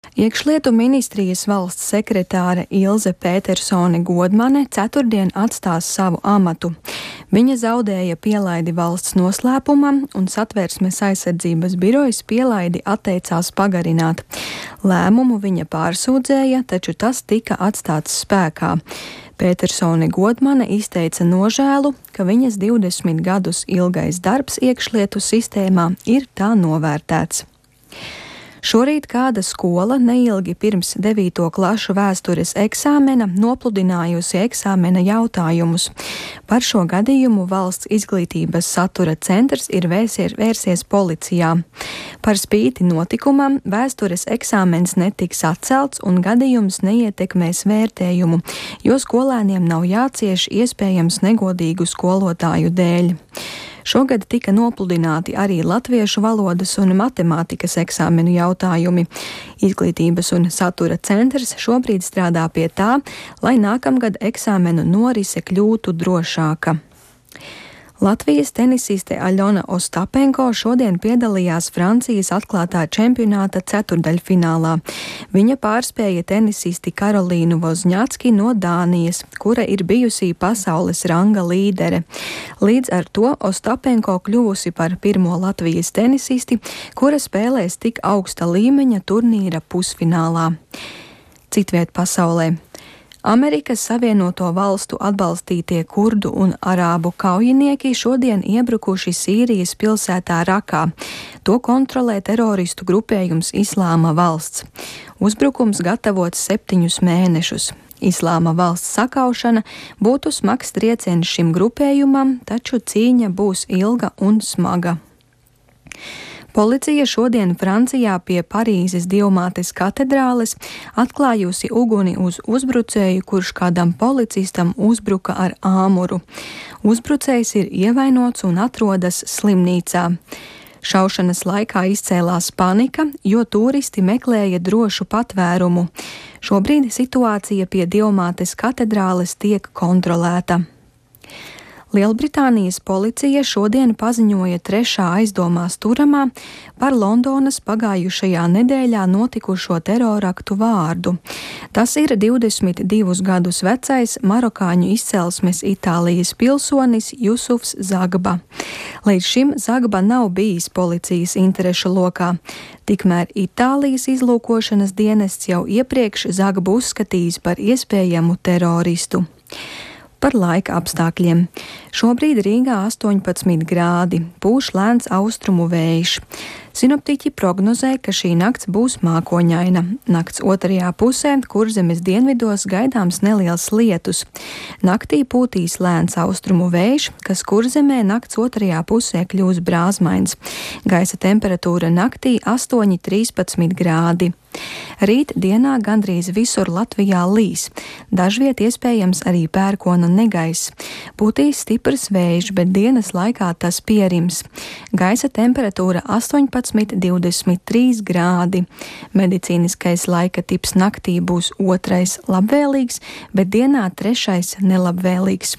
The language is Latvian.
Iekšlietu ministrijas valsts sekretāre Ilze Pētersone Godmane ceturtdien atstās savu amatu. Viņa zaudēja pielaidi valsts noslēpumam, un Satversmes aizsardzības birojas pielaidi atteicās pagarināt. Lēmumu viņa pārsūdzēja, taču tas tika atstāts spēkā. Pētersone Godmane izteica nožēlu, ka viņas 20 gadus ilgais darbs iekšlietu sistēmā ir tā novērtēts. Šorīt kāda skola neilgi pirms 9. klašu vēstures eksāmena nopludinājusi eksāmena jautājumus. Par šo gadījumu Valsts izglītības satura centrs ir vērsies policijā. Par spīti notikumam vēstures eksāmens netiks atcelts un gadījums neietekmēs vērtējumu, jo skolēniem nav jācieš iespējams negodīgu skolotāju dēļ. Šogad tika nopludināti arī latviešu valodas un matemātikas eksāmenu jautājumi. Izglītības un satura centrs šobrīd strādā pie tā, lai nākamgad eksāmenu norise kļūtu drošāka. Latvijas tenisiste Aļona Ostapenko šodien piedalījās Francijas atklātā čempionāta ceturdaļfinālā. Viņa pārspēja tenisisti Karolīnu Vozņacki no Dānijas, kura ir bijusī pasaules ranga līdere. Līdz ar to Ostapenko kļuvusi par pirmo Latvijas tenisisti, kura spēlēs tik augsta līmeņa turnīra pusfinālā. Citviet pasaulē. Amerikas Savienoto Valstu atbalstītie kurdu un arābu kaujinieki šodien iebrukuši Sīrijas pilsētā Rakā. To kontrolē teroristu grupējums Islāma valsts. Uzbrukums gatavots 7 mēnešus. Islāma valsts sakaušana būtu smags trieciens šim grupējumam, taču cīņa būs ilga un smaga. Policija šodien Francijā pie Parīzes Dievmātes katedrāles atklājusi uguni uz uzbrucēju, kurš kādam policistam uzbruka ar āmuru. Uzbrucējs ir ievainots un atrodas slimnīcā. Šaušanas laikā izcēlās panika, jo turisti meklēja drošu patvērumu. Šobrīd situācija pie Dievmātes katedrāles tiek kontrolēta. Lielbritānijas policija šodien paziņoja 3. aizdomās turamā par Londonas pagājušajā nedēļā notikušo teroraktu vārdu. Tas ir 22 gadus vecais marokāņu izcelsmes Itālijas pilsonis Jusufs Zagba. Līdz šim Zagba nav bijis policijas interešu lokā. Tikmēr Itālijas izlūkošanas dienests jau iepriekš Zagbu uzskatījis par iespējamu teroristu. Par laika apstākļiem. Šobrīd Rīgā 18 grādi, pūš lēns austrumu vējš. Sinoptiķi prognozē, ka šī nakts būs mākoņaina. Nakts otrajā pusē Kurzemes dienvidos gaidāms neliels lietus. Naktī pūtīs lēns austrumu vējš, kas Kurzemē nakts otrajā pusē kļūs brāzmains. Gaisa temperatūra naktī 8–13 grādi. Rīt dienā gandrīz visur Latvijā līs. Dažviet iespējams arī pērkona negaiss. Pūtīs stiprs vējš, bet dienas laikā tas pierims. Gaisa temperatūra 18–23 grādi. Medicīniskais laika tips naktī būs 2. labvēlīgs, bet dienā 3. nelabvēlīgs.